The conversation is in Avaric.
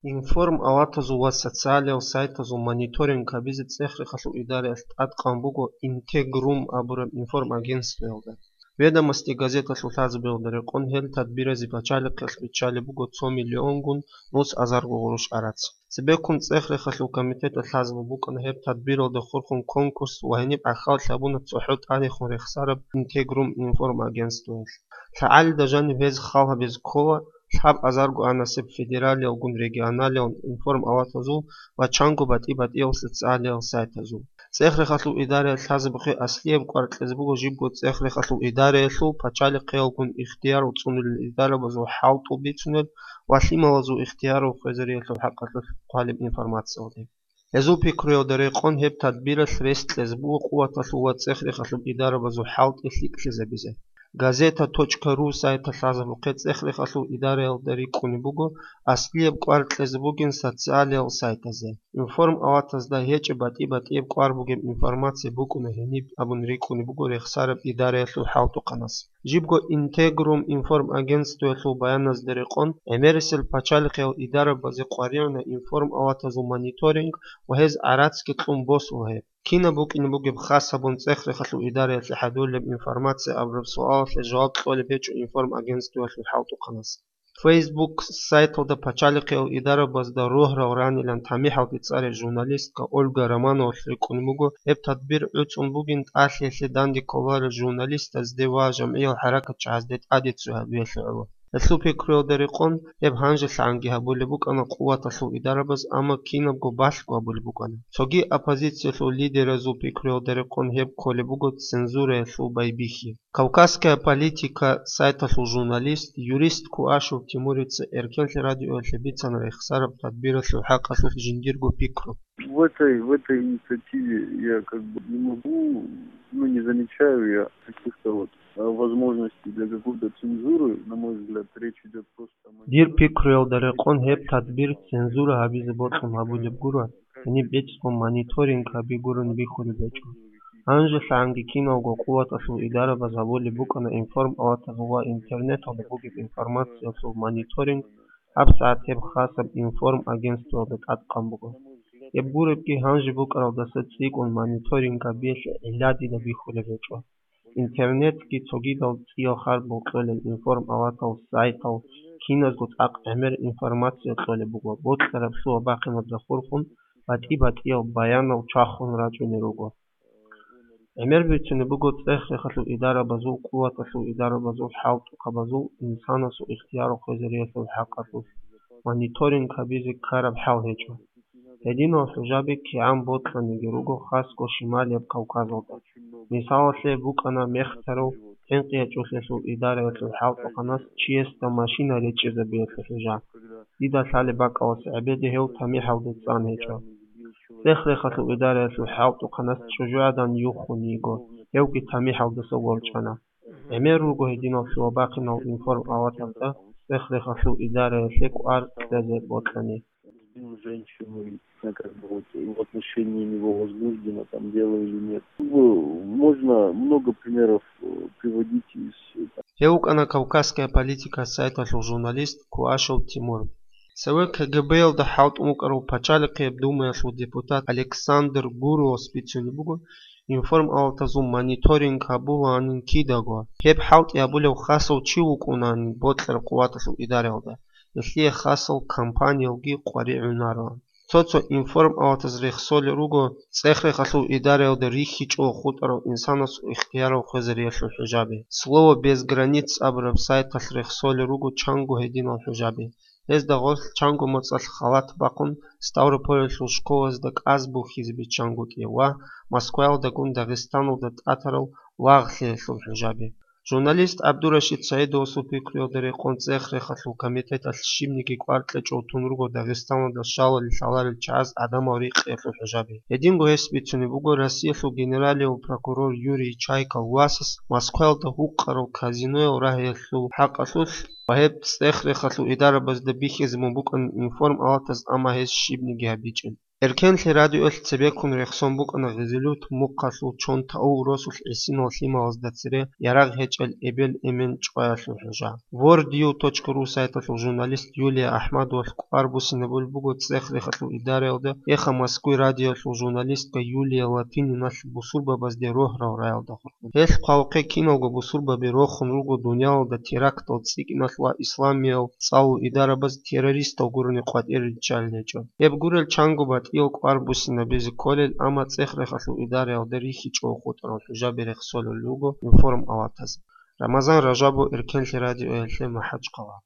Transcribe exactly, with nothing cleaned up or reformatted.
Информ-аватазул ва социалиял сайтазул мониторинг гьабизе цӀех-рехалъул идараялъ тӀадкъан буго Интегрум абураб информагентствоялда. Ведомости газеталъул лъазабиялда рекъон гьел тадбиразе пачалихъалъ биччалеб буго цо миллионгун нус азарго гъурущ гӀарац. Цебеккун цӀех-рехалъул комитеталъ лъазабун букӀана гьеб тадбиралда хурхун конкурс ва гьениб гӀахьаллъи гьабуна цохӀо тӀадехун рехсараб Интегрум информагентствоялъ. ЛъагӀалида жаниб гьез хал гьабизе ккола лъабазарго анасеб федералиялгун регионалиял информ-аватазул ва чанго батӀи-батӀиял социалиял сайтазул. ЦӀех-рехалъул идараялъ лъазабухъе аслияб кӀвар кьезе буго жибго цӀех-рехалъул идараялъул пачалихъиялгун ихтияр цӀунулел идарабазул хӀалтӀул бицунел ва лъималазул ихтиярал хвезариялъул хӀакъалъулъ хъвалеб информациялде. Гьезул пикруялда рекъон гьеб тадбиралъ рес кьезе буго къуваталъул ва цӀех-рехалъул идарабазул хӀалтӀи лъикӀлъизабизе. Газета точка ру сайталъ лъазабухъе цӀех-рехалъул идараялда рикӀкӀунеб буго аслияб кӀвар кьезе бугин социалиял сайтазе. Информ-аватазда гьечӀеб батӀи-батӀияб кӀвар бугеб информация букӀуна гьениб абун рикӀкӀунеб буго рехсараб идараялъул хӀалтӀухъанас. Жибго Интегрум информагентствоялъул баяназда рекъон, гӀемерисел пачалихъиял идарабазе къваригӀуна информ-аватазул мониторинг ва гьез гӀарацги кьун босула гьеб. Кинаб букӀине бугеб хас гьабун цӀех-рехалъул идараялъе хӀадурлеб информация абураб суалалъе жаваб кьолеб гьечӀо информагентствоялъул хӀалтӀухъанас. Facebook сайталда пачалихъиял идарабазда рогьарал ранилан тамихӀалде цӀарал журналистка Ольга Романовалъ рикӀкӀунеб буго гьеб тадбир гӀуцӀун бугин тӀалъиялъе данде кколарел журналистазде ва жамгӀиял хӀаракатчагӀазде тӀаде цо гьабиялъе гӀоло. Гьелъул пикруялда рекъон гьеб гьанжелъагӀанги гьабулеб букӀана къуваталъул идарабаз, амма кинабго балъго гьабулеб букӀана. Цоги оппозициялъул лидеразул пикруялда рекъон гьеб кколеб буго цензураялъул байбихьи. Кавказская политика сайталъул журналист, юрист Куашев Тимурица Эркенлъи радиоялъе бицана рехсараб тадбиралъул хӀакъалъулъ жиндирго пикру. В этой, в этой инициативе я как бы не могу, ну, не замечаю я каких-то вот, а, возможностей для какой-то цензуры. На мой взгляд, речь идёт просто о... Дир пикруялда рекъон гьеб тадбир цензура гьабизе бокьун гьабулеб гуро, гьениб бецӀго мониторинг гьаби гурони бихьулеб гьечӀо. ГьанжелъагӀанги киналго къуваталъул идарабаз гьабулеб букӀана информ-аватазул ва интернеталда бугеб информациялъул мониторинг, гьабсагӀат гьеб хасаб информ-агентствоялда тӀадкъан буго. Гьеб гуребги гьанже букӀаралдаса цӀикӀкӀун мониторинг гьабиялъе гӀилла дида бихьулеб гьечӀо. Интернетги цогидал цӀиял харбал кьолел информ-аватал сайтал киназго цӀакъ гӀемер информация кьолеб буго, бокьараб лъугьа-бахъинаб захурхун батӀи-батӀиял баянал чвахун рачӀунел руго. ГӀемер бицунеб буго цӀех-рехалъул идарабазул, къуваталъул идарабазул, хӀалтӀухъабазул инсанасул ихтияр хвезариялъул хӀакъалъулъ мониторинг гьабизе ккараб хӀал гьечӀо. Гьединал хӀужаби кигӀан бокьаниги руго хасго Шималияб Кавказалда. Мисалалъе букӀана мехтарав хӀинкъи гьечӀолъиялъул идараялъул хӀалтӀухъанас чиясда машина речӀчӀизабиялъул хӀужа. Дида лъалеб бакӀалас гӀебеде гьев тамихӀалде цӀан гьечӀо. Цех-рехалъул идараялъул хӀалтӀухъанас чӀужугӀадан юххун йиго, гьевги тамихӀалдаса ворчӀана. ГӀемер руго гьединал лъугьа-бахъинал информ-аватазда цех-рехалъул идараялъе кӀвар кьезе бокьани. Сбил женщину, и, ну, как бы вот, в отношении него возбуждено там дело или нет. Как бы можно много примеров, э, приводить из, э, там. Гьев вукӀана Кавказская политика сайталъул журналист Куашев Тимур. Цеве КГБ-ялда хӀалтӀун вукӀарав Пачалихъияб Думаялъул депутат Александр Гуровас бицунеб буго, информ-аватазул мониторинг гьабулаанин кидаго. Гьеб хӀалтӀи гьабулев хасав чи вукӀунаанин бокьараб къуваталъул идараялда, гьелъие хасал компаниялги къваригӀунароан. Цо-цо информ-аватаз рехсолел руго цех-рехалъул идараялда рихьичӀого хутӀарав инсанасул ихтиярал хвезариялъул хӀужаби. Слово без границ абураб сайталъ рехсолел руго чанго гьединал хӀужаби. Гьезда гъорлъ чанго моцӀалъ халат бахъун, Ставрополалъул школазда кӀаз бухьизе биччангутӀи ва Москваялдагун Дагъистаналда тӀатарал лагълъиялъул хӀужаби. Журналист ГӀабдурашид СагӀидовасул пикруялда рекъон цех-рехалъул комитеталъ щибниги кӀвар кьечӀого тун руго Дагъистаналда щалалел лъаларел чагӀаз гӀадамал рикъиялъул хӀужаби. Гьединго гьес бицунеб буго Россиялъул генералияв прокурор Юрий Чайкал васас Москваялда гьукъарал казиноял рагьиялъул хӀакъалъулъ ва гьеб цех-рехалъул идарабазда бихьизабун букӀана информ-аватаз, амма гьез щибниги гьабичӀин. Эркенлъи радиоялъ цебеккун рехсон букӀана Гъизилют мухъалъул Чонтау росулъ гӀисинал лъималазда цере ярагъ гьечӀел эбел-эмен чӀваялъул хӀужа. Вордиев точка ру сайталъул журналист Юлия Ахмадовалъ кӀвар буссинабулеб буго ЦӀех-Рехалъул идараялда, эхха Москвай радиоялъул журналистка Юлия Латининалъ бусурбабазде рогьарал раялда хурхун. Гьелъ хъвалухъе киналго бусурбаби рохун руго дуниялалда терактал цӀикӀкӀиналъ ва исламиял цӀалул идарабаз террористал гурони къватӀире риччалел гьечӀо. Гьеб гурел чанго батӀиял кӀвар буссинабизе кколел, амма ЦӀех-Рехалъул идараялда рихьичӀого хутӀарал хӀужаби рехсолел руго информ аватаз. Рамазан Ражабов, Эркенлъи радиоялъе, МахӀачхъала.